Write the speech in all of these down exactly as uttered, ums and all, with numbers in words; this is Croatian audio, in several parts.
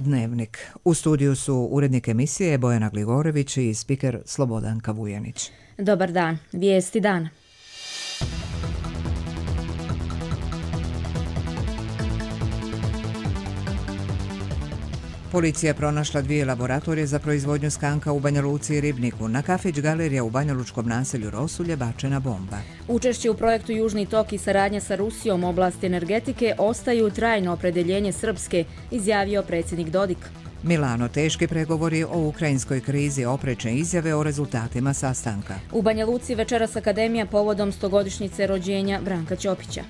Dnevnik. U studiju su urednik emisije Bojana Gligorević i spiker Slobodanka Vujanić. Dobar dan. Vijesti dana. Policija je pronašla dvije laboratorije za proizvodnju skanka u Banja Luci i Ribniku. Na kafić galerija u banjalučkom naselju Rosulje bačena bomba. Učešće u projektu Južni tok i saradnja sa Rusijom u oblasti energetike ostaju trajno opredeljenje Srpske, izjavio predsjednik Dodik. Milano, teški pregovori o ukrajinskoj krizi, oprečne izjave o rezultatima sastanka. U Banja Luci večeras akademija povodom stogodišnjice rođenja Branka Ćopića.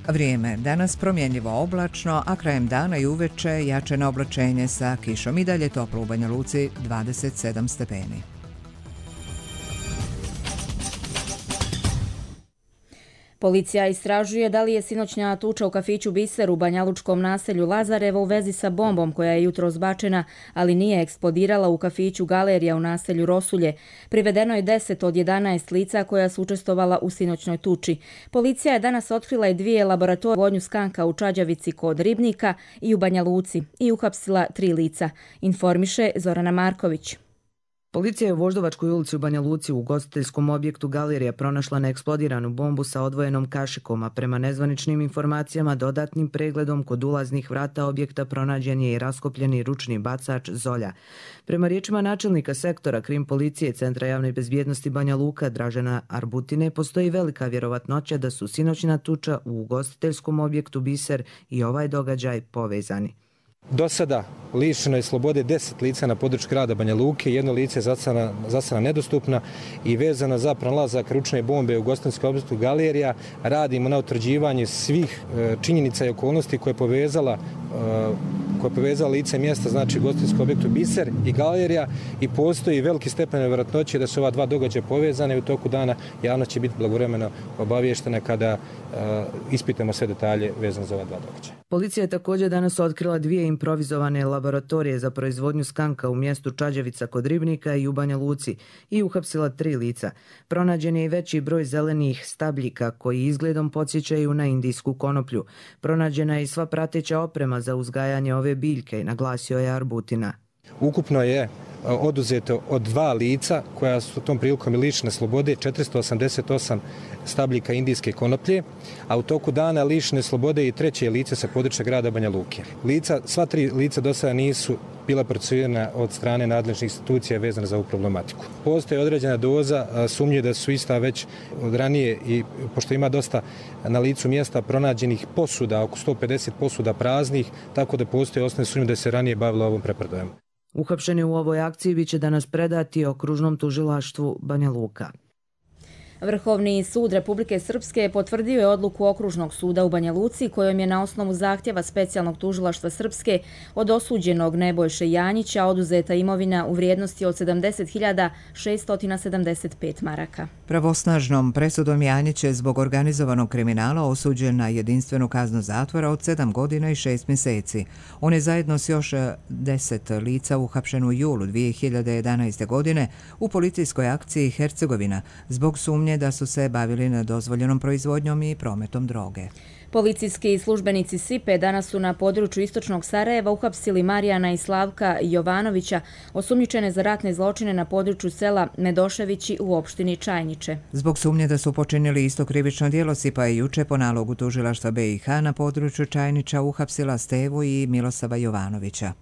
Vrijeme. Danas promjenljivo oblačno, a krajem dana i uveče jačeno oblačenje sa kišom. I dalje toplo u Banja Luci, dvadeset sedam stepeni. Policija istražuje da li je sinoćnja tuča u kafiću Biser u banjalučkom naselju Lazarevo u vezi sa bombom koja je jutros bačena, ali nije eksplodirala u kafiću Galerija u naselju Rosulje. Privedeno je deset od jedanaest lica koja su učestvovala u sinoćnoj tuči. Policija je danas otkrila i dvije laboratorije vodnju skanka u Čađavici kod Ribnika i u Banja Luci i uhapsila tri lica, informiše Zorana Marković. Policija je u Voždovačkoj ulici u Banja Luci u ugostiteljskom objektu Galerija pronašla neeksplodiranu bombu sa odvojenom kašikom, a prema nezvaničnim informacijama dodatnim pregledom kod ulaznih vrata objekta pronađen je i raskopljeni ručni bacač Zolja. Prema riječima načelnika sektora krim policije Centra javne bezbjednosti Banja Luka Dražena Arbutine, postoji velika vjerovatnoća da su sinoćna tuča u ugostiteljskom objektu Biser i ovaj događaj povezani. Do sada lišeno je slobode deset lica na području grada Banja Luke, jedno lice je za sada nedostupna i vezano za pronalazak ručne bombe u ugostiteljskom objektu Galerija radimo na utvrđivanju svih činjenica i okolnosti koje je povezala koje je povezala lice mjesta, znači ugostiteljskom objektu Biser i Galerija, i postoji veliki stepen vjerojatnoće da su ova dva događaja povezane i u toku dana javnost će biti blagovremeno obavještena kada ispitamo sve detalje vezane za ova dva događaja. Policija je također danas otkrila dvije improvizovane laboratorije za proizvodnju skanka u mjestu Čađavica kod Ribnika i u Banja Luci i uhapsila tri lica. Pronađen je i veći broj zelenih stabljika koji izgledom podsjećaju na indijsku konoplju. Pronađena je i sva prateća oprema za uzgajanje ove biljke, naglasio je Arbutina. Ukupno je oduzeto od dva lica koja su tom prilikom lišene slobode četiristo osamdeset osam stabljika indijske konoplje, a u toku dana lišene slobode i treće lice sa područja grada Banja Luke. Lica, sva tri lica do sada nisu bila procesuirana od strane nadležnih institucija vezana za ovu problematiku. Postoji određena doza sumnje da su ista već od ranije, i pošto ima dosta na licu mjesta pronađenih posuda, oko sto pedeset posuda praznih, tako da postoji osnovne sumnje da se ranije bavilo ovom preprodajom. Uhapšeni u ovoj akciji biće danas predati okružnom tužilaštvu Banja Luka. Vrhovni sud Republike Srpske potvrdio je odluku Okružnog suda u Banja Luci kojom je na osnovu zahtjeva specijalnog tužilaštva Srpske od osuđenog Nebojše Janjića oduzeta imovina u vrijednosti od sedamdeset hiljada šeststo sedamdeset pet maraka. Pravosnažnom presudom Janjić je zbog organizovanog kriminala osuđen na jedinstvenu kaznu zatvora od sedam godina i šest mjeseci. On je zajedno s još deset lica uhapšen u julu dvije hiljade jedanaeste. godine u policijskoj akciji Hercegovina zbog sumnje da su se bavili nedozvoljenom proizvodnjom i prometom droge. Policijski službenici Sipe danas su na području istočnog Sarajeva uhapsili Marijana i Slavka Jovanovića, osumnjičene za ratne zločine na području sela Medoševići u opštini Čajniče. Zbog sumnje da su počinili isto krivično djelo, Sipa je juče po nalogu tužilaštva B i H na području Čajniča uhapsila Stevu i Milosava Jovanovića.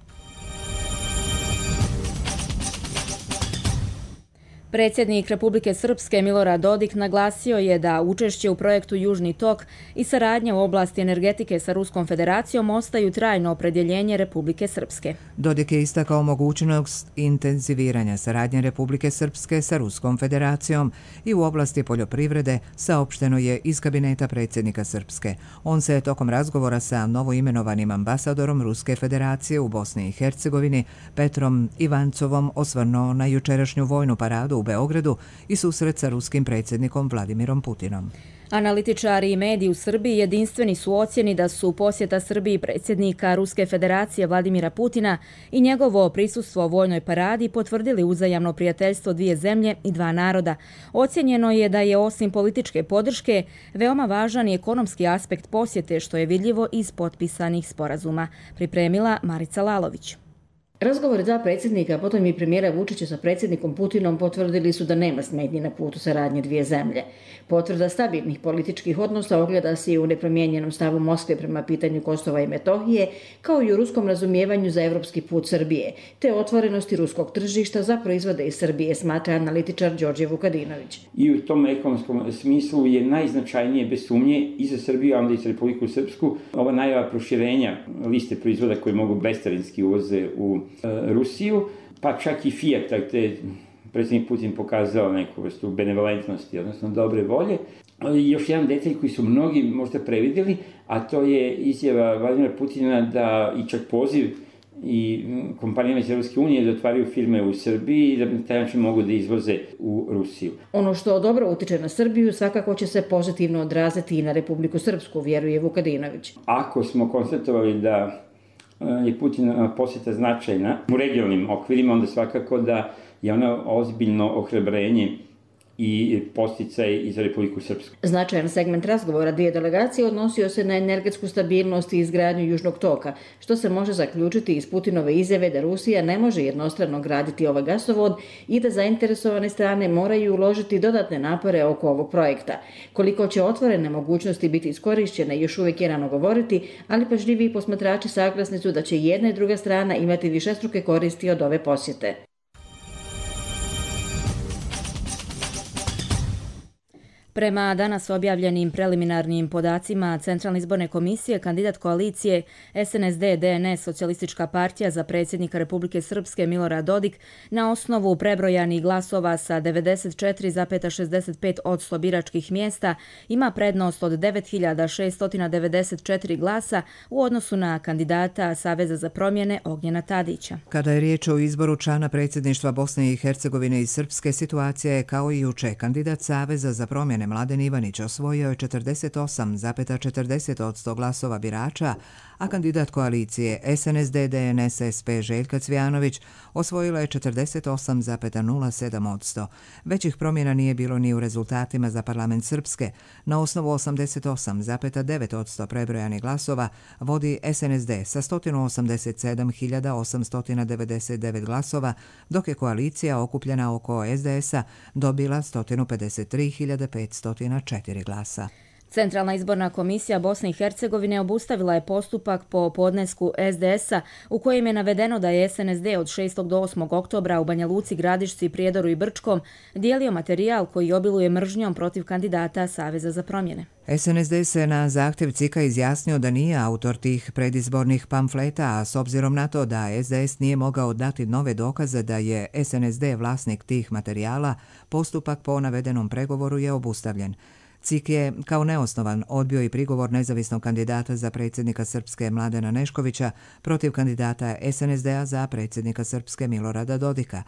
Predsjednik Republike Srpske Milorad Dodik naglasio je da učešće u projektu Južni tok i saradnja u oblasti energetike sa Ruskom federacijom ostaju trajno opredjeljenje Republike Srpske. Dodik je istakao mogućnost intenziviranja saradnje Republike Srpske sa Ruskom federacijom i u oblasti poljoprivrede, saopšteno je iz kabineta predsjednika Srpske. On se tokom razgovora sa novoimenovanim ambasadorom Ruske federacije u Bosni i Hercegovini Petrom Ivancovom osvrnuo na jučerašnju vojnu paradu u Beogradu i susret sa ruskim predsjednikom Vladimirom Putinom. Analitičari i mediji u Srbiji jedinstveni su u ocjeni da su posjeta Srbiji predsjednika Ruske federacije Vladimira Putina i njegovo prisustvo u vojnoj paradi potvrdili uzajamno prijateljstvo dvije zemlje i dva naroda. Ocjenjeno je da je osim političke podrške veoma važan i ekonomski aspekt posjete, što je vidljivo iz potpisanih sporazuma. Pripremila Marica Lalović. Razgovori dva predsjednika, potom i premijera Vučića sa predsjednikom Putinom potvrdili su da nema smetnji na putu saradnje dvije zemlje. Potvrda stabilnih političkih odnosa ogleda se i u nepromijenjenom stavu Moskve prema pitanju Kosova i Metohije, kao i u ruskom razumijevanju za evropski put Srbije, te otvorenosti ruskog tržišta za proizvode iz Srbije, smatra analitičar Đorđe Vukadinović. I u tom ekonomskom smislu je najznačajnije, bez sumnje, i za Srbiju, ali i za Republiku Srpsku, ova najava proširenja liste proizvoda koje mogu bescarinski uvoze u Rusiju, pa čak i Fiat, gde predsjednik Putin pokazao neku vrstu benevolentnosti, odnosno dobre volje. Još jedan detalj koji su mnogi možda previdjeli, a to je izjava Vladimira Putina da i čak poziv i kompanijama iz Evropske unije da otvaraju firme u Srbiji i da na taj način mogu da izvoze u Rusiju. Ono što dobro utiče na Srbiju svakako će se pozitivno odraziti i na Republiku Srpsku, vjeruje Vukadinović. Ako smo konstatovali da je Putina posjeta značajna u regionalnim okvirima, onda svakako da je ona ozbiljno ohrabrenje i posticaj i za Republiku Srpsku. Značajan segment razgovora dvije delegacije odnosio se na energetsku stabilnost i izgradnju Južnog toka, što se može zaključiti iz Putinove izjave da Rusija ne može jednostrano graditi ovaj gasovod i da zainteresovane strane moraju uložiti dodatne napore oko ovog projekta. Koliko će otvorene mogućnosti biti iskorišćene još uvijek je rano govoriti, ali pažljivi posmatrači saglasni su da će jedna i druga strana imati višestruke koristi od ove posjete. Prema danas objavljenim preliminarnim podacima Centralne izborne komisije, kandidat koalicije S N S D D N S Socijalistička partija za predsjednika Republike Srpske Milorad Dodik na osnovu prebrojanih glasova sa devedeset četiri zarez šezdeset pet posto biračkih mjesta ima prednost od devet hiljada šesto devedeset četiri glasa u odnosu na kandidata Saveza za promjene Ognjena Tadića. Kada je riječ o izboru člana predsjedništva Bosne i Hercegovine i Srpske, situacija je kao i juče. Kandidat Saveza za promjene Mladen Ivanić osvojio je četrdeset osam zarez četrdeset posto glasova birača, a kandidat koalicije S N S D D N S S P Željka Cvijanović osvojila je četrdeset osam zarez nula sedam posto. Većih promjena nije bilo ni u rezultatima za parlament Srpske. Na osnovu osamdeset osam zarez devet posto prebrojanih glasova vodi S N S D sa sto osamdeset sedam hiljada osamsto devedeset devet glasova, dok je koalicija okupljena oko S D S-a dobila sto pedeset tri hiljade petsto četiri glasa. Centralna izborna komisija Bosne i Hercegovine obustavila je postupak po podnesku S D S-a u kojem je navedeno da je S N S D od šestog do osmog oktobra u Banja Luci, Gradišci, Prijedoru i Brčkom dijelio materijal koji obiluje mržnjom protiv kandidata Saveza za promjene. S N S D se na zahtjev C I K-a izjasnio da nije autor tih predizbornih pamfleta, a s obzirom na to da S D S nije mogao dati nove dokaze da je S N S D vlasnik tih materijala, postupak po navedenom pregovoru je obustavljen. C I K je kao neosnovan odbio i prigovor nezavisnog kandidata za predsjednika Srpske Mladena Neškovića protiv kandidata S N S D-a za predsjednika Srpske Milorada Dodika.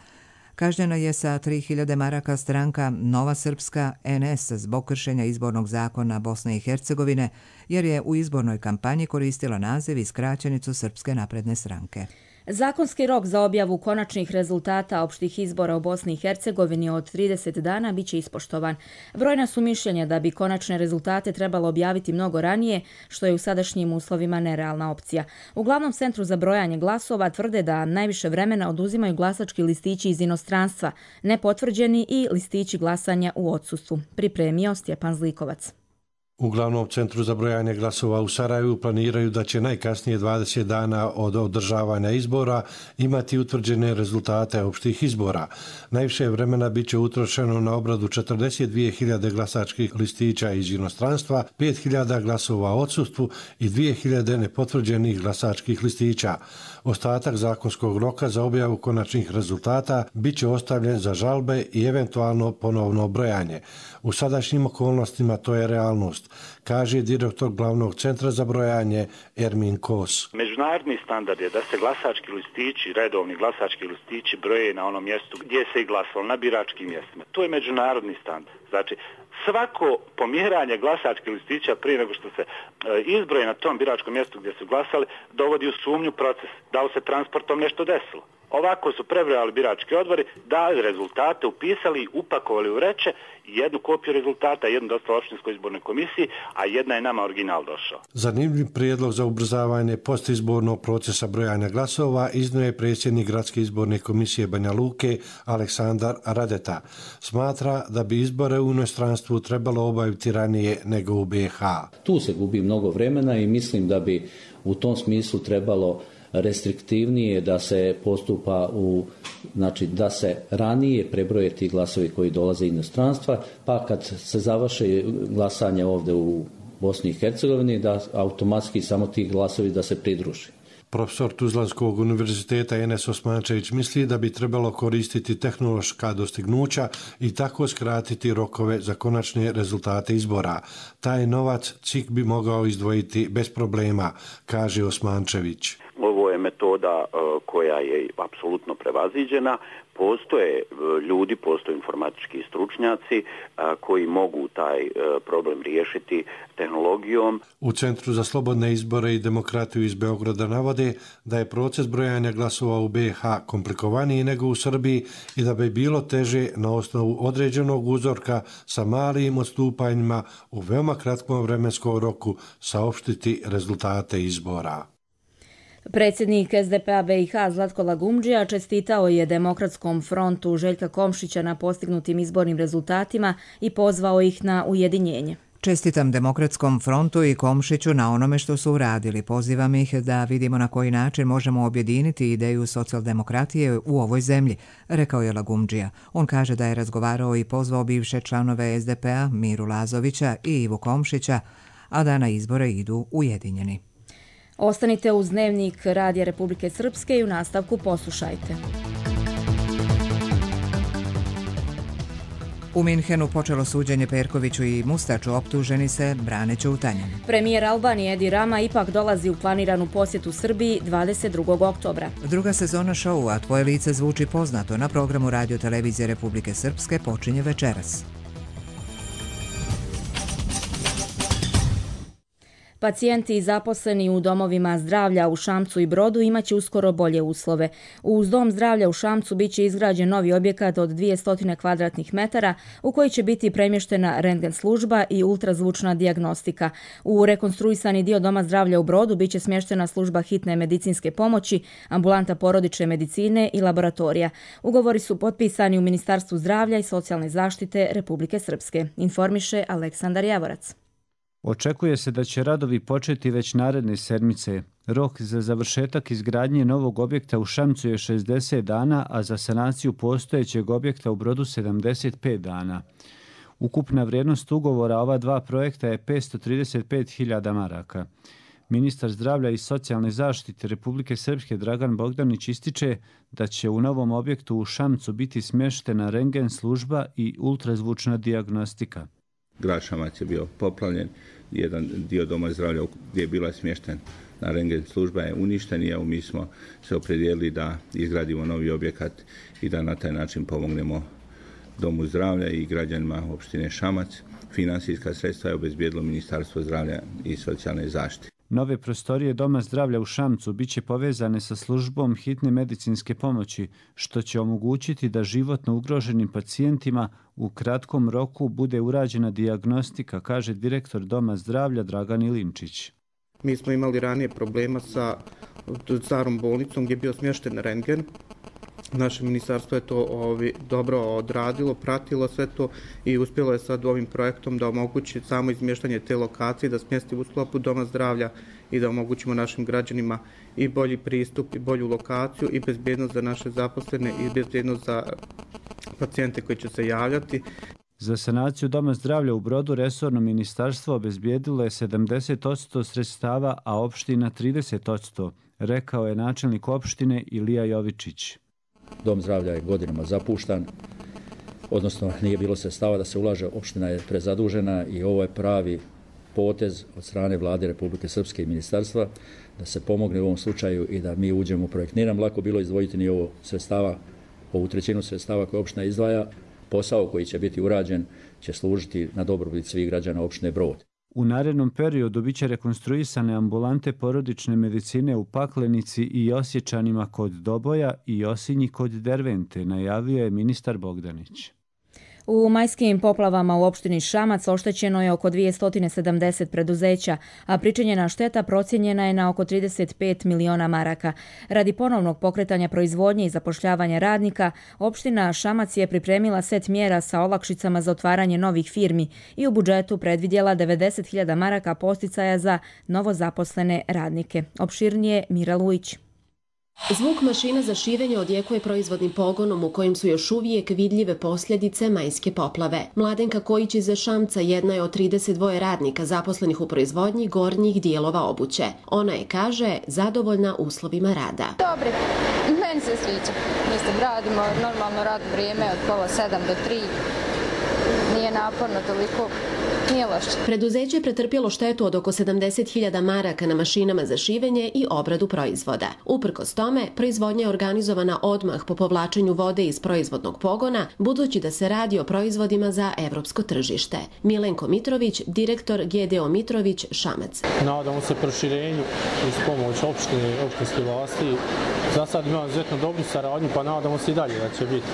Kažnjena je sa tri hiljade maraka stranka Nova Srpska N S zbog kršenja izbornog zakona Bosne i Hercegovine, jer je u izbornoj kampanji koristila naziv i skraćenicu Srpske napredne stranke. Zakonski rok za objavu konačnih rezultata opštih izbora u Bosni i Hercegovini od trideset dana biće ispoštovan. Brojna su mišljenja da bi konačne rezultate trebalo objaviti mnogo ranije, što je u sadašnjim uslovima nerealna opcija. U glavnom centru za brojanje glasova tvrde da najviše vremena oduzimaju glasački listići iz inostranstva, nepotvrđeni i listići glasanja u odsustvu. Pripremio Stjepan Zlikovac. U glavnom centru za brojanje glasova u Sarajevu planiraju da će najkasnije dvadeset dana od održavanja izbora imati utvrđene rezultate opštih izbora. Najviše vremena biće utrošeno na obradu četrdeset dvije hiljade glasačkih listića iz inostranstva, pet hiljada glasova u odsustvu i dvije hiljade nepotvrđenih glasačkih listića. Ostatak zakonskog roka za objavu konačnih rezultata biće ostavljen za žalbe i eventualno ponovno brojanje. U sadašnjim okolnostima to je realnost. sigurnost, kaže direktor glavnog centra za brojanje Ermin Kos. Međunarodni standard je da se glasački listići, redovni glasački listići broje na onom mjestu gdje se i glasalo, na biračkim mjestima. To je međunarodni standard. Znači, svako pomjeranje glasačkih listića prije nego što se e, izbroje na tom biračkom mjestu gdje su glasali, dovodi u sumnju proces. Da li se transportom nešto desilo? Ovako su prebrojali birački odbori, dali rezultate, upisali i upakovali u vreće, jednu kopiju rezultata, jednu dostavili opštinskoj izbornoj komisiji, a jedna je nama original došao. Zanimljiv prijedlog za ubrzavanje postizbornog procesa brojanja glasova iznio je predsjednik Gradske izborne komisije Banja Luke Aleksandar Radeta. Smatra da bi izbore u inostranstvu trebalo obaviti ranije nego u B H. Tu se gubi mnogo vremena i mislim da bi u tom smislu trebalo restriktivnije da se postupa u, znači da se ranije prebroje ti glasovi koji dolaze iz inostranstva, pa kad se završe glasanje ovdje u Bosni i Hercegovini, da automatski samo ti glasovi da se pridruži. Profesor Tuzlanskog univerziteta Enes Osmančević misli da bi trebalo koristiti tehnološka dostignuća i tako skratiti rokove za konačne rezultate izbora. Taj novac C I K bi mogao izdvojiti bez problema, kaže Osmančević. Ovo je metoda koja je apsolutno prevaziđena. Postoje ljudi, postoje informatički stručnjaci koji mogu taj problem riješiti tehnologijom. U Centru za slobodne izbore i demokratiju iz Beograda navode da je proces brojanja glasova u B H komplikovaniji nego u Srbiji i da bi bilo teže na osnovu određenog uzorka sa malim odstupanjima u veoma kratkom vremenskom roku saopštiti rezultate izbora. Predsjednik S D P-a B i H Zlatko Lagumdžija čestitao je Demokratskom frontu Željka Komšića na postignutim izbornim rezultatima i pozvao ih na ujedinjenje. Čestitam Demokratskom frontu i Komšiću na onome što su uradili. Pozivam ih da vidimo na koji način možemo objediniti ideju socijaldemokratije u ovoj zemlji, rekao je Lagumdžija. On kaže da je razgovarao i pozvao bivše članove S D P-a Miru Lazovića i Ivu Komšića, a da na izbore idu ujedinjeni. Ostanite uz Dnevnik Radija Republike Srpske i u nastavku poslušajte. U Minhenu počelo suđenje Perkoviću i Mustaču, optuženi se brane ćutanjem. Premijer Albanije Edi Rama ipak dolazi u planiranu posjetu Srbiji dvadeset drugog oktobra. Druga sezona šoua Tvoje lice zvuči poznato na programu Radio Televizije Republike Srpske počinje večeras. Pacijenti i zaposleni u domovima zdravlja u Šamcu i Brodu imaće uskoro bolje uslove. Uz dom zdravlja u Šamcu biće izgrađen novi objekat od dvjesto kvadratnih metara u koji će biti premještena rentgen služba i ultrazvučna dijagnostika. U rekonstruisani dio doma zdravlja u Brodu biće smještena služba hitne medicinske pomoći, ambulanta porodične medicine i laboratorija. Ugovori su potpisani u Ministarstvu zdravlja i socijalne zaštite Republike Srpske, informiše Aleksandar Javorac. Očekuje se da će radovi početi već naredne sedmice. Rok za završetak izgradnje novog objekta u Šamcu je šezdeset dana, a za sanaciju postojećeg objekta u Brodu sedamdeset pet dana. Ukupna vrijednost ugovora ova dva projekta je petsto trideset pet hiljada maraka. Ministar zdravlja i socijalne zaštite Republike Srpske Dragan Bogdanić ističe da će u novom objektu u Šamcu biti smještena rentgen služba i ultrazvučna dijagnostika. Grad Šamac je bio poplavljen, jedan dio doma zdravlja gdje je bila smješten na rentgen služba je uništen i evo mi smo se opredijelili da izgradimo novi objekat i da na taj način pomognemo domu zdravlja i građanima opštine Šamac. Finansijska sredstva je obezbijedilo Ministarstvo zdravlja i socijalne zaštite. Nove prostorije Doma zdravlja u Šamcu biće povezane sa službom hitne medicinske pomoći, što će omogućiti da životno ugroženim pacijentima u kratkom roku bude urađena dijagnostika, kaže direktor Doma zdravlja Dragan Ilinčić. Mi smo imali ranije problema sa starom bolnicom gdje je bio smješten rentgen. Naše ministarstvo je to ovi, dobro odradilo, pratilo sve to i uspjelo je sad ovim projektom da omogući samo izmještanje te lokacije, da smjesti u sklopu Doma zdravlja i da omogućimo našim građanima i bolji pristup i bolju lokaciju i bezbjednost za naše zaposlene i bezbjednost za pacijente koji će se javljati. Za sanaciju Doma zdravlja u Brodu resorno ministarstvo obezbijedilo je sedamdeset posto sredstava, a opština trideset posto, rekao je načelnik opštine Ilija Jovičić. Dom zdravlja je godinama zapuštan, odnosno nije bilo sredstava da se ulaže, opština je prezadužena i ovo je pravi potez od strane vlade Republike Srpske i ministarstva da se pomogne u ovom slučaju i da mi uđemo u projekt. Nije nam lako bilo izdvojiti ni ovo sredstava, ovu trećinu sredstava koje opština izdvaja. Posao koji će biti urađen će služiti na dobrobit svih građana opštine Brod. U narednom periodu biće rekonstruisane ambulante porodične medicine u Paklenici i Osječanima kod Doboja i Osinji kod Dervente, najavio je ministar Bogdanić. U majskim poplavama u opštini Šamac oštećeno je oko dvjesto sedamdeset preduzeća, a pričinjena šteta procijenjena je na oko trideset pet miliona maraka. Radi ponovnog pokretanja proizvodnje i zapošljavanja radnika, opština Šamac je pripremila set mjera sa olakšicama za otvaranje novih firmi i u budžetu predvidjela devedeset hiljada maraka posticaja za novozaposlene radnike. Opširnije Mira Lujić. Zvuk mašina za šivenje odjekuje proizvodnim pogonom u kojim su još uvijek vidljive posljedice majske poplave. Mladenka Kojić iz Šamca jedna je od trideset dva radnika zaposlenih u proizvodnji gornjih dijelova obuće. Ona je, kaže, zadovoljna uslovima rada. Dobre, meni se sviđa. Mislim, radimo normalno radno vrijeme od pola sedam do tri. Nije naporno toliko. Nije loše. Preduzeće je pretrpjelo štetu od oko sedamdeset hiljada maraka na mašinama za šivenje i obradu proizvoda. Uprkos tome, proizvodnja je organizovana odmah po povlačenju vode iz proizvodnog pogona, budući da se radi o proizvodima za evropsko tržište. Milenko Mitrović, direktor G D O Mitrović, Šamac. Nadamo se proširenju uz pomoć opštine, opštinske vlasti. Za sad imamo izuzetno dobru saradnju, pa nadamo se i dalje da će biti.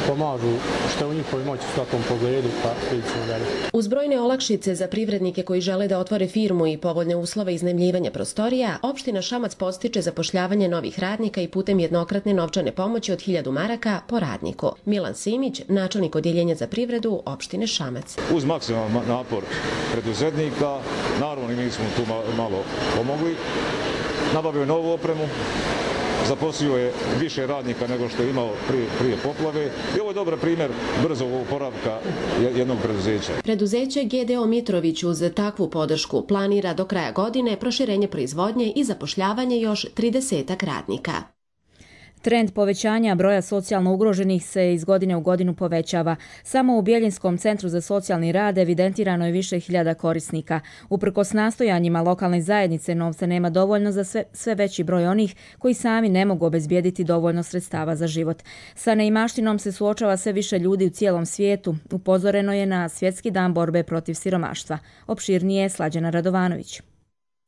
Pomažu što je u njihovoj moći u svakom pogledu, pa vidimo dalje. Uz brojne olakšice za privrednike koji žele da otvore firmu i povoljne uslove iznajmljivanja prostorija, opština Šamac podstiče zapošljavanje novih radnika i putem jednokratne novčane pomoći od hiljadu maraka po radniku. Milan Simić, načelnik odjeljenja za privredu opštine Šamac. Uz maksimalan napor preduzetnika, naravno i mi smo tu malo pomogli, nabavio novu opremu, zaposlio je više radnika nego što je imao prije, prije poplave i ovo je dobar primjer brzog oporavka jednog preduzeća. Preduzeće G D O Mitrović uz takvu podršku planira do kraja godine proširenje proizvodnje i zapošljavanje još tridesetak radnika. Trend povećanja broja socijalno ugroženih se iz godine u godinu povećava. Samo u Bjeljinskom centru za socijalni rad evidentirano je više hiljada korisnika. Uprkos nastojanjima lokalne zajednice novca nema dovoljno za sve, sve veći broj onih koji sami ne mogu obezbijediti dovoljno sredstava za život. Sa neimaštinom se suočava sve više ljudi u cijelom svijetu. Upozoreno je na Svjetski dan borbe protiv siromaštva. Opširnije Slađana Radovanović.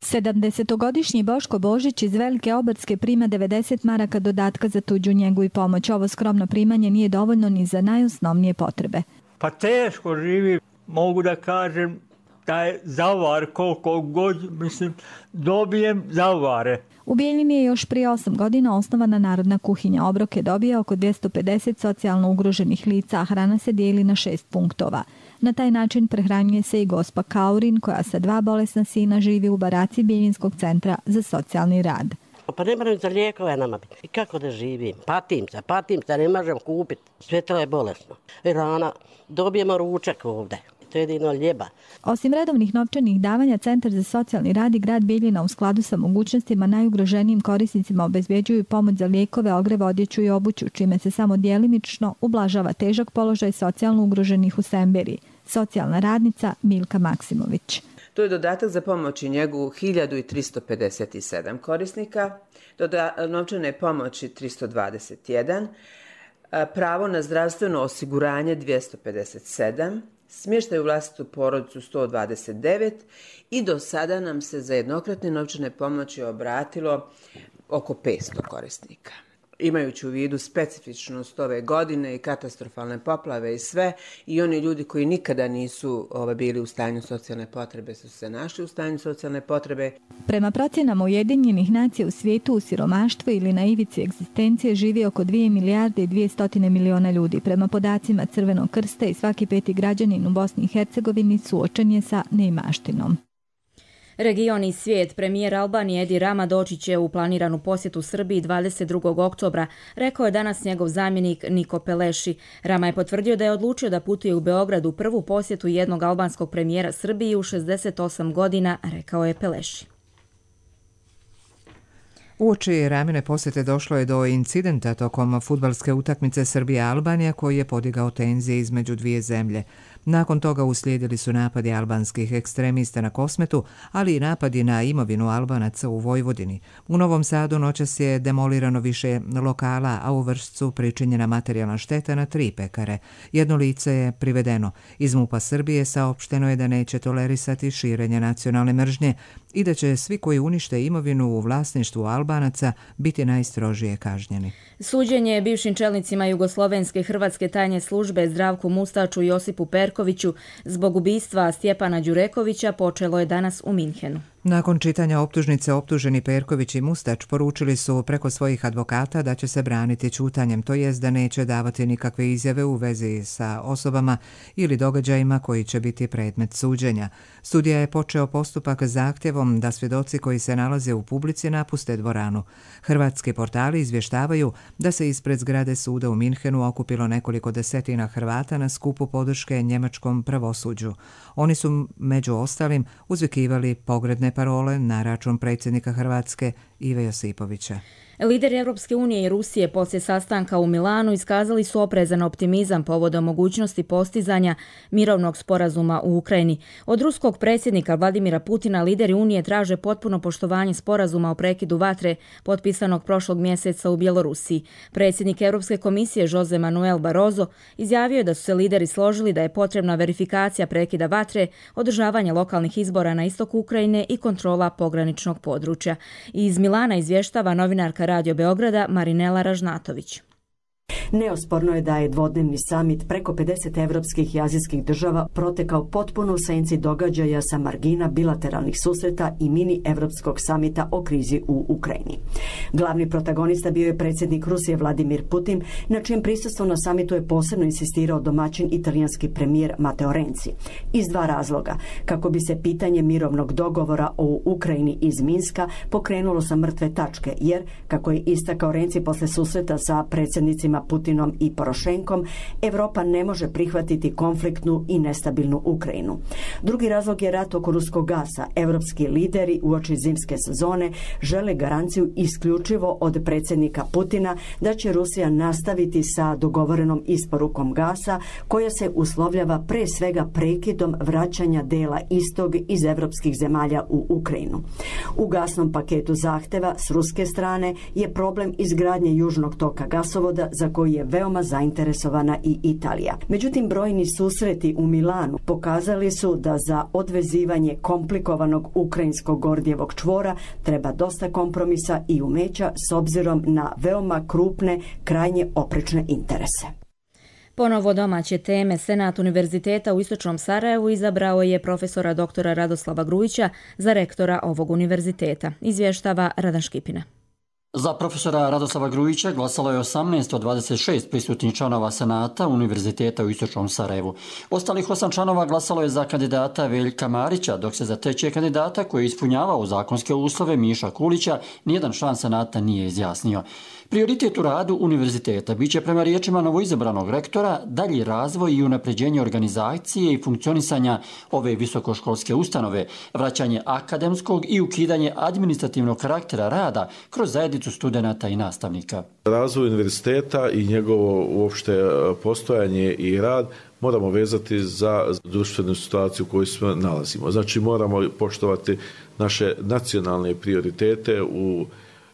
sedamdesetogodišnji Boško Božić iz Velike Obrdske prima devedeset maraka dodatka za tuđu njegu i pomoć. Ovo skromno primanje nije dovoljno ni za najosnovnije potrebe. Pa teško živi, mogu da kažem da je zavar koliko god, mislim, dobijem zavare. U Bijeljini je još prije osam godina osnovana Narodna kuhinja. Obrok je dobio oko dvjesto pedeset socijalno ugroženih lica, a hrana se dijeli na šest punktova. Na taj način prehranjuje se i gospa Kaurin, koja sa dva bolesna sina živi u baraci Bijeljinskog centra za socijalni rad. Pa ne moram za lijekove nama biti. I kako da živim? Patim se, patim se, ne možem kupiti. Sve to je bolesno. I rana, dobijemo ručak ovdje. To je jedino ljeba. Osim redovnih novčanih davanja, Centar za socijalni rad i grad Bijeljina u skladu sa mogućnostima najugroženijim korisnicima obezbjeđuju pomoć za lijekove, ogreve, odjeću i obuću, čime se samo djelimično ublažava težak položaj socijalno ugroženih u Semberiji. Socijalna radnica Milka Maksimović. To je dodatak za pomoć i njegu hiljadu tristo pedeset sedam korisnika, doda, novčane pomoći tristo dvadeset jedan, pravo na zdravstveno osiguranje dvjesto pedeset sedam, smještaj u vlastitu porodicu sto dvadeset devet i do sada nam se za jednokratne novčane pomoći obratilo oko petsto korisnika. Imajući u vidu specifičnost ove godine i katastrofalne poplave i sve, i oni ljudi koji nikada nisu ova, bili u stanju socijalne potrebe su se našli u stanju socijalne potrebe. Prema procjenama Ujedinjenih nacija u svijetu u siromaštvu ili na ivici egzistencije živi oko dvije milijarde i dvjesto miliona ljudi. Prema podacima Crvenog krsta i svaki peti građanin u Bosni i Hercegovini suočen je sa neimaštinom. Region i svijet, premijer Albanije Edi Rama doći će u planiranu posjetu Srbiji dvadeset drugog oktobra, rekao je danas njegov zamjenik Niko Peleši. Rama je potvrdio da je odlučio da putuje u Beograd u prvu posjetu jednog albanskog premijera Srbiji u šezdeset osam godina, rekao je Peleši. Uoči Ramine posjete došlo je do incidenta tokom fudbalske utakmice Srbija-Albanija koji je podigao tenzije između dvije zemlje. Nakon toga uslijedili su napadi albanskih ekstremista na Kosmetu, ali i napadi na imovinu Albanaca u Vojvodini. U Novom Sadu noćas je demolirano više lokala, a u Vršcu pričinjena materijalna šteta na tri pekare. Jedno lice je privedeno. Iz MUP-a Srbije saopšteno je da neće tolerisati širenje nacionalne mržnje i da će svi koji unište imovinu u vlasništvu Albanaca biti najstrožije kažnjeni. Suđenje bivšim čelnicima Jugoslovenske hrvatske tajne službe Zdravku Mustaču i Josipu Perkoviću zbog ubistva Stjepana Đurekovića počelo je danas u Minhenu. Nakon čitanja optužnice, optuženi Perković i Mustač poručili su preko svojih advokata da će se braniti ćutanjem, to jest da neće davati nikakve izjave u vezi sa osobama ili događajima koji će biti predmet suđenja. Sudija je počeo postupak zahtjevom da svjedoci koji se nalaze u publici napuste dvoranu. Hrvatski portali izvještavaju da se ispred zgrade suda u Minhenu okupilo nekoliko desetina Hrvata na skupu podrške njemačkom pravosuđu. Oni su među ostalim uzvikivali pogrdne parole na račun predsjednika Hrvatske Ive Josipovića. Lideri Europske unije i Rusije poslije sastanka u Milanu iskazali su oprezan optimizam povodom mogućnosti postizanja mirovnog sporazuma u Ukrajini. Od ruskog predsjednika Vladimira Putina lideri Unije traže potpuno poštovanje sporazuma o prekidu vatre potpisanog prošlog mjeseca u Bjelorusiji. Predsjednik Europske komisije Jose Manuel Barroso izjavio je da su se lideri složili da je potrebna verifikacija prekida vatre, održavanje lokalnih izbora na istoku Ukrajine i kontrola pograničnog područja. Iz Milana izvještava novinarka Radio Beograda Marinela Ražnatović. Neosporno je da je dvodnevni samit preko pedeset evropskih i azijskih država protekao potpuno u senci događaja sa margina bilateralnih susreta i mini evropskog samita o krizi u Ukrajini. Glavni protagonista bio je predsjednik Rusije Vladimir Putin, na čijem prisustvu na samitu je posebno insistirao domaćin italijanski premijer Matteo Renzi. Iz dva razloga, kako bi se pitanje mirovnog dogovora o Ukrajini iz Minska pokrenulo sa mrtve tačke, jer, kako je istakao Renzi posle susreta sa predsjednicima Putinom i Porošenkom, Evropa ne može prihvatiti konfliktnu i nestabilnu Ukrajinu. Drugi razlog je rat oko ruskog gasa. Evropski lideri uoči zimske sezone žele garanciju isključivo od predsjednika Putina da će Rusija nastaviti sa dogovorenom isporukom gasa, koja se uslovljava pre svega prekidom vraćanja dela istog iz evropskih zemalja u Ukrajinu. U gasnom paketu zahteva s ruske strane je problem izgradnje južnog toka gasovoda za koji je veoma zainteresovana i Italija. Međutim, brojni susreti u Milanu pokazali su da za odvezivanje komplikovanog ukrajinskog Gordijevog čvora treba dosta kompromisa i umeća s obzirom na veoma krupne, krajnje oprečne interese. Ponovo domaće teme. Senat Univerziteta u Istočnom Sarajevu izabrao je profesora doktora Radoslava Grujića za rektora ovog univerziteta. Izvještava Radan Škipina. Za profesora Radoslava Grujića glasalo je osamnaest od dvadeset šest prisutnih članova Senata Univerziteta u Istočnom Sarajevu. Ostalih osam članova glasalo je za kandidata Veljka Marića, dok se za trećeg kandidata koji je ispunjavao zakonske uslove Miša Kulića nijedan član Senata nije izjasnio. Prioritet u radu univerziteta biće prema riječima novoizabranog rektora dalji razvoj i unapređenje organizacije i funkcionisanja ove visokoškolske ustanove, vraćanje akademskog i ukidanje administrativnog karaktera rada kroz zajednicu studenata i nastavnika. Razvoj univerziteta i njegovo uopšte postojanje i rad moramo vezati za društvenu situaciju u kojoj se nalazimo. Znači moramo poštovati naše nacionalne prioritete u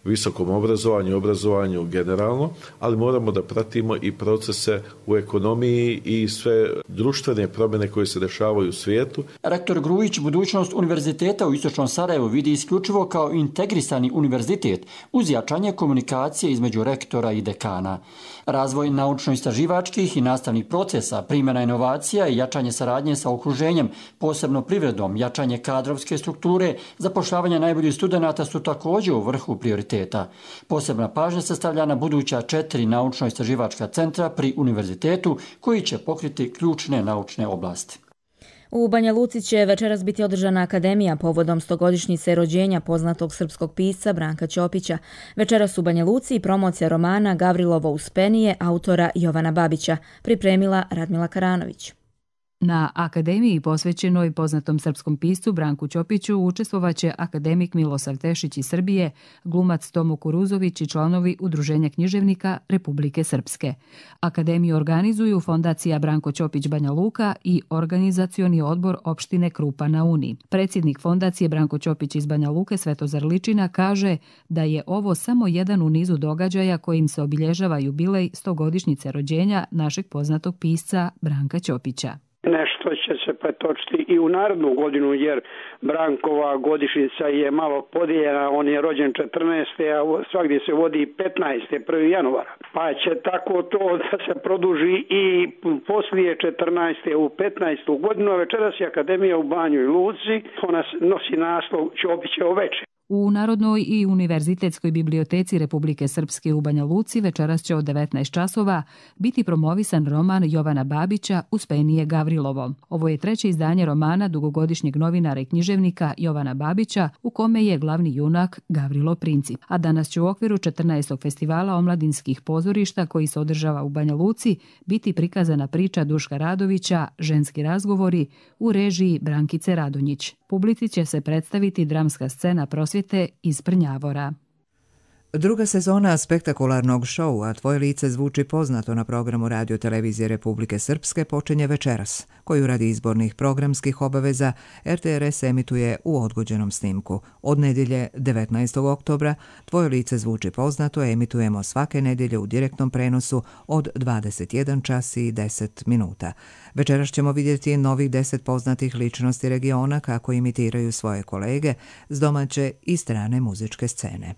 visokom obrazovanju, obrazovanju generalno, ali moramo da pratimo i procese u ekonomiji i sve društvene promjene koje se dešavaju u svijetu. Rektor Grujić budućnost Univerziteta u Istočnom Sarajevu vidi isključivo kao integrisani univerzitet uz jačanje komunikacije između rektora i dekana. Razvoj naučno-istraživačkih i nastavnih procesa, primjena inovacija i jačanje saradnje sa okruženjem, posebno privredom, jačanje kadrovske strukture, zapošljavanje najboljih studenata su također u vrhu prioriteta. Posebna pažnja se stavlja na buduća četiri naučno-istraživačka centra pri univerzitetu koji će pokriti ključne naučne oblasti. U Banja Luci će večeras biti održana akademija povodom stogodišnjice rođenja poznatog srpskog pisca Branka Ćopića. Večeras u Banja Luci i promocija romana Gavrilovo uspenije autora Jovana Babića, pripremila Radmila Karanović. Na akademiji posvećenoj poznatom srpskom piscu Branku Ćopiću učestvovaće akademik Milosav Tešić iz Srbije, glumac Tomo Kuruzović i članovi Udruženja književnika Republike Srpske. Akademiju organizuju Fondacija Branko Ćopić Banja Luka i Organizacioni odbor opštine Krupa na Uni. Predsjednik Fondacije Branko Ćopić iz Banja Luke Svetozar Ličina kaže da je ovo samo jedan u nizu događaja kojim se obilježava jubilej stogodišnjice rođenja našeg poznatog pisca Branka Ćopića. Nešto će se pretočiti i u narednu godinu, jer Brankova godišnjica je malo podijeljena, on je rođen četrnaeste. a svagdje se vodi petnaeste. prvog januara. Pa će tako to da se produži i poslije četrnaeste. u petnaestu godinu. Večeras je Akademija u Banjoj Luci, ona nosi naslov Ćopićevo veče. U Narodnoj i Univerzitetskoj biblioteci Republike Srpske u Banja Luci večeras će od devetnaest časova biti promovisan roman Jovana Babića Uspenije Gavrilovo. Ovo je treće izdanje romana dugogodišnjeg novinara i književnika Jovana Babića, u kome je glavni junak Gavrilo Princip. A danas će u okviru četrnaestog festivala omladinskih pozorišta koji se održava u Banja Luci biti prikazana priča Duška Radovića Ženski razgovori u režiji Brankice Radonjić. Publici će se predstaviti dramska scena prosvjete iz Prnjavora. Druga sezona spektakularnog šoua Tvoje lice zvuči poznato na programu Radio televizije Republike Srpske počinje večeras, koju radi izbornih programskih obaveza er te er es emituje u odgođenom snimku. Od nedjelje devetnaestog oktobra Tvoje lice zvuči poznato emitujemo svake nedjelje u direktnom prenosu od dvadeset jedan čas i deset minuta. Večeras ćemo vidjeti novih deset poznatih ličnosti regiona kako imitiraju svoje kolege s domaće i strane muzičke scene.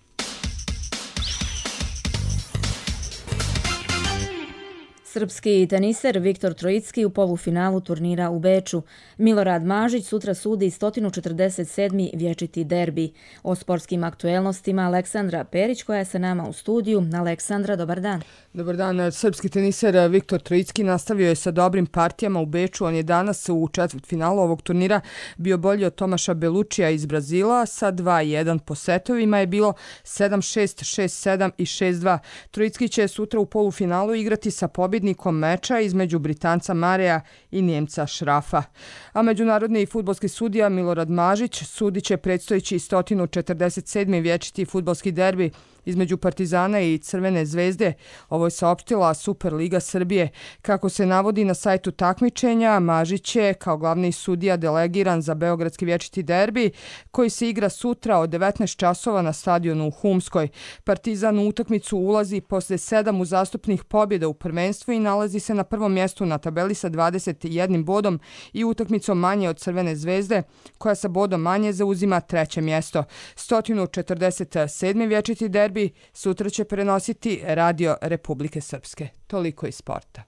Srpski teniser Viktor Trojicki u polufinalu turnira u Beču. Milorad Mažić sutra sudi sto četrdeset sedmi vječiti derbi. O sportskim aktuelnostima Aleksandra Perić koja je sa nama u studiju. Aleksandra, dobar dan. Dobar dan. Srpski teniser Viktor Trojicki nastavio je sa dobrim partijama u Beču. On je danas u četvrtfinalu ovog turnira bio bolji od Tomaša Belučija iz Brazila. Sa dva jedan po setovima je bilo sedam šest, šest sedam i šest dva. Trojicki će sutra u polufinalu igrati sa pobjednikom meča između Britanca Mareja i Njemca Šrafa. A međunarodni fudbalski sudija Milorad Mažić sudit će predstojeći sto četrdeset sedmi vječiti fudbalski derbi između Partizana i Crvene zvezde. Ovo je saopštila Superliga Srbije. Kako se navodi na sajtu takmičenja, Mažić je kao glavni sudija delegiran za beogradski vječiti derbi koji se igra sutra od devetnaest časova na stadionu u Humskoj. Partizan u utakmicu ulazi posle sedam uzastopnih pobjeda u prvenstvu i nalazi se na prvom mjestu na tabeli sa dvadeset jednim bodom i utakmicom manje od Crvene zvezde koja sa bodom manje zauzima treće mjesto. sto četrdeset sedmi vječiti derbi sutra će prenositi Radio Republike Srpske. Toliko iz sporta.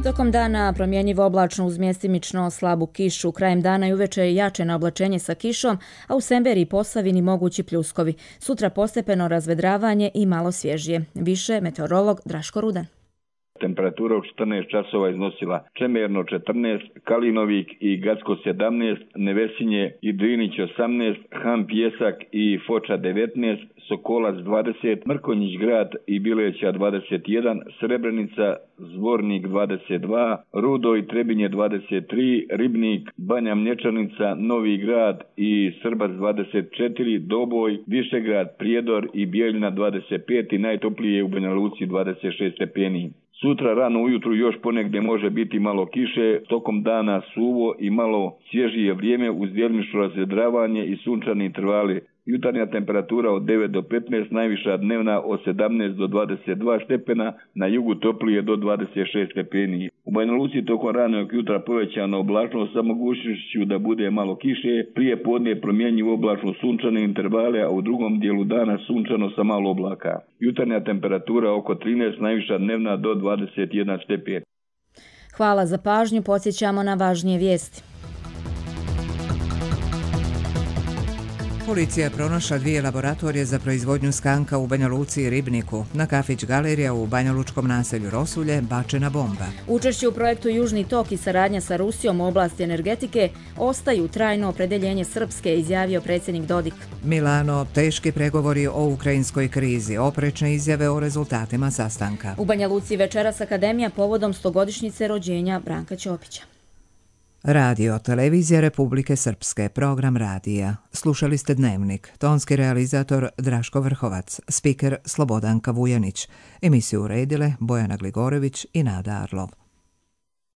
Tokom dana promjenjivo oblačno uz mjestimično slabu kišu, krajem dana i uveče jače na oblačenje sa kišom, a u Semberiji i Posavini mogući pljuskovi. Sutra postepeno razvedravanje i malo svježije. Više meteorolog Draško Rudan. Temperatura u četrnaest časova iznosila Čemerno četrnaest, Kalinovik i Gacko sedamnaest, Nevesinje i Drinić osamnaest, Han Pjesak i Foča devetnaest, Sokolac dvadeset, Mrkonjić grad i Bileća dvadeset jedan, Srebrenica, Zvornik dvadeset dva, Rudo i Trebinje dvadeset tri, Ribnik, Banja Mlječanica, Novi grad i Srbac dvadeset četiri, Doboj, Višegrad, Prijedor i Bijeljina dvadeset pet i najtoplije u Banja Luci dvadeset šest stepeni. Sutra rano ujutru još ponegdje može biti malo kiše, tokom dana suvo i malo svježije vrijeme uz djelimično razvedravanje i sunčani intervali. Jutarnja temperatura od devet do petnaest, najviša dnevna od sedamnaest do dvadeset dva stepena, na jugu toplije do dvadeset šest stepeni. U Banja Luci tokom ranog jutra povećana oblačnost sa mogućnošću da bude malo kiše, prije podne promjenjivo oblačno sunčane intervale, a u drugom dijelu dana sunčano sa malo oblaka. Jutarnja temperatura oko trinaest, najviša dnevna do dvadeset jedan stepen. Hvala za pažnju, podsjećamo na važnije vijesti. Policija je pronašla dvije laboratorije za proizvodnju skanka u Banja Luci i Ribniku. Na kafić Galerija u banjalučkom naselju Rosulje bačena bomba. Učešće u projektu Južni tok i saradnja sa Rusijom u oblasti energetike ostaju trajno opredeljenje Srpske, izjavio predsjednik Dodik. Milano, teški pregovori o ukrajinskoj krizi, oprečne izjave o rezultatima sastanka. U Banja Luci večeras akademija povodom stogodišnjice rođenja Branka Ćopića. Radio, televizija Republike Srpske, program radija. Slušali ste Dnevnik, tonski realizator Draško Vrhovac, spiker Slobodanka Vujanić. Emisiju uredile Bojana Gligorević i Nada Arlov.